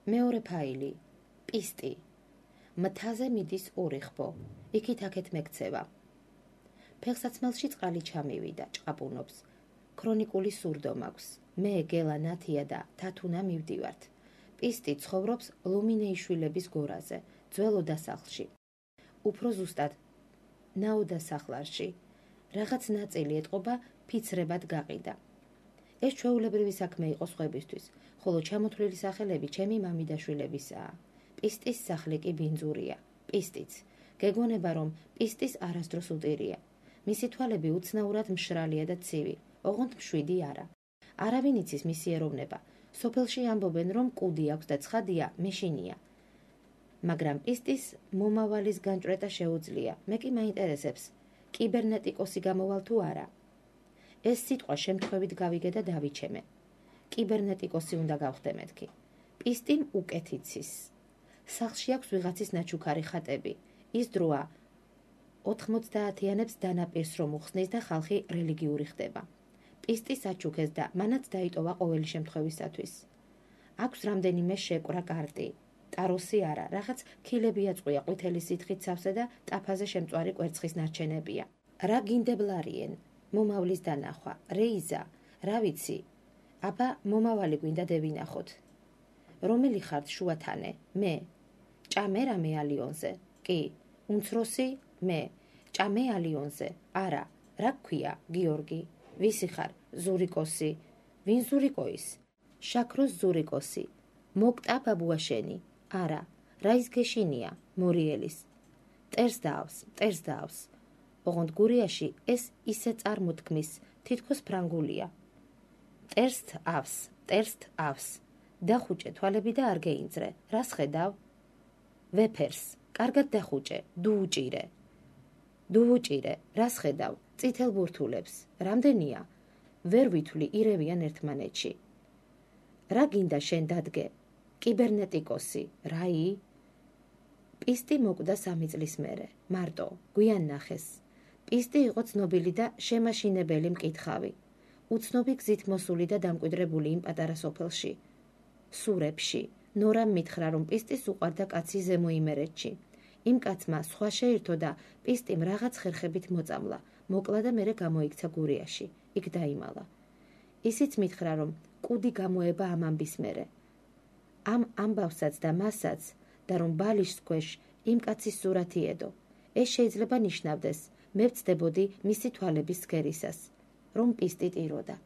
მეორე ფაილი, პისტი. მთაზე მიდის ორი ხბო, იქით-აქეთ მეკცევა. ფეხსაცმელში წყალი ჩამივიდა, ჭყაპუნობს. ქრონიკული სურდო მაქვს. მე, გელა, ნათია და თათუნა მივდივართ. პისტი ცხოვრობს ლუმინეიშვილების გორაზე, ძველ ოდასახლში. უფრო ზუსტად, ნაოდასახლარში. რაღაც ნაწილი ეტყობა ფიცრებად გაყიდა. ეს ჩვეულებრივი საქმე იყო სხვებისთვის, ხოლო ჩამოთვლილი სახელები ჩემი მამიდაშვილებისაა. პისტის სახლი კი ბინძურია, პისტიც. გეგონება, რომ პისტის არასდროს უტირია. მისი თვალები უცნაურად მშრალია და ცივი, ოღონდ მშვიდი არა. არავინ იცის მისი ეროვნება. სოფელში ამბობენ, რომ კუდი აქვს და ცხადია, მეშინია. მაგრამ პისტის მომავალის განჭვრეტა შეუძლია. მე კი მაინტერესებს, კიბერნეტიკოსი გამოვალ თუ არა. ეს სიტყვა შემთხვევით გავიგე და დავიჩემე. კიბერნეტიკოსი უნდა გავხდე მეთქი. პისტიმ უკეთ იცის. სახლში აქვს ვიღაცის ნაჩუქარი ხატები. ის დროა 90-იანებს დანაპირს რომ უხსნის და ხალხი რელიგიური ხდება. პისტი საჩუქეს და მანაც დაიტოვა ყოველი შემთხვევისათვის. აქვს რამდენიმე შეკვრა კარტი. ტაროსი არა, რაღაც ქილები აწყვია ყვითელი სითხით სავსე და ტაფაზე შემწვარი კვერცხის ნარჩენებია. რა გინდებლარიენ? მომავლის დანახვა, რეიზა, რა ვიცი. აბა, მომავალი გვინდა დევინახოთ. რომელი ხართ შუათანე? მე. ჭამე რამე ალიონზე? კი. უმცროსი? მე. ჭამე ალიონზე? არა. რა გქვია? გიორგი. ვისი ხარ? ზურიკოსი. ვინ ზურიკოის? შაქროს ზურიკოსი. მოკტა ბაბუაშენი? არა. რა ის გეშინია? მორიელის. ტერს დაავს. ოღონდ გურიაში ეს ისე წარმოთქმის, თითქოს ფრანგულია. ტერს ავს. დახუჭე თვალები და არ გეინძრე. რას ხედავ? ვეფერს. კარგად დახუჭე. დუუჭირე. რას ხედავ? წითელ ბურთულებს. რამდენია? ვერ ვითვლი, ირევიან ერთმანეთში. რა გინდა შენ დადგე? კიბერნეტიკოსი. რაი? პისტი მოკვდა 3 წლის მერე. მარტო, გვიან ნახეს. პისტი იყო ცნობილი და შემაშინებელი მკითხავი. უცნობი გზით მოსული და დამკვიდრებული იმ პატარა სოფელში. სურებში. ნორამ მითხრა, რომ პისტის უყვარდა კაცი ზემო იმერეთში. იმ კაცმა სხვა შეირთო და პისტიმ რაღაც ხერხებით მოწამლა. მოკლა და მერე გამოიქცა გურიაში. იქ დაიმალა. ისიც მითხრა, რომ კუდი გამოება ამ ამბის მერე. ამ ამბავსაც და მასაც და რომ ბალიშს ქვეშ იმ კაცის სურათი ედო. ეს შეიძლება ნიშნავდეს, მე ვწდებოდი მისი თვალების სქერისას, რომ პისტი ტიროდა.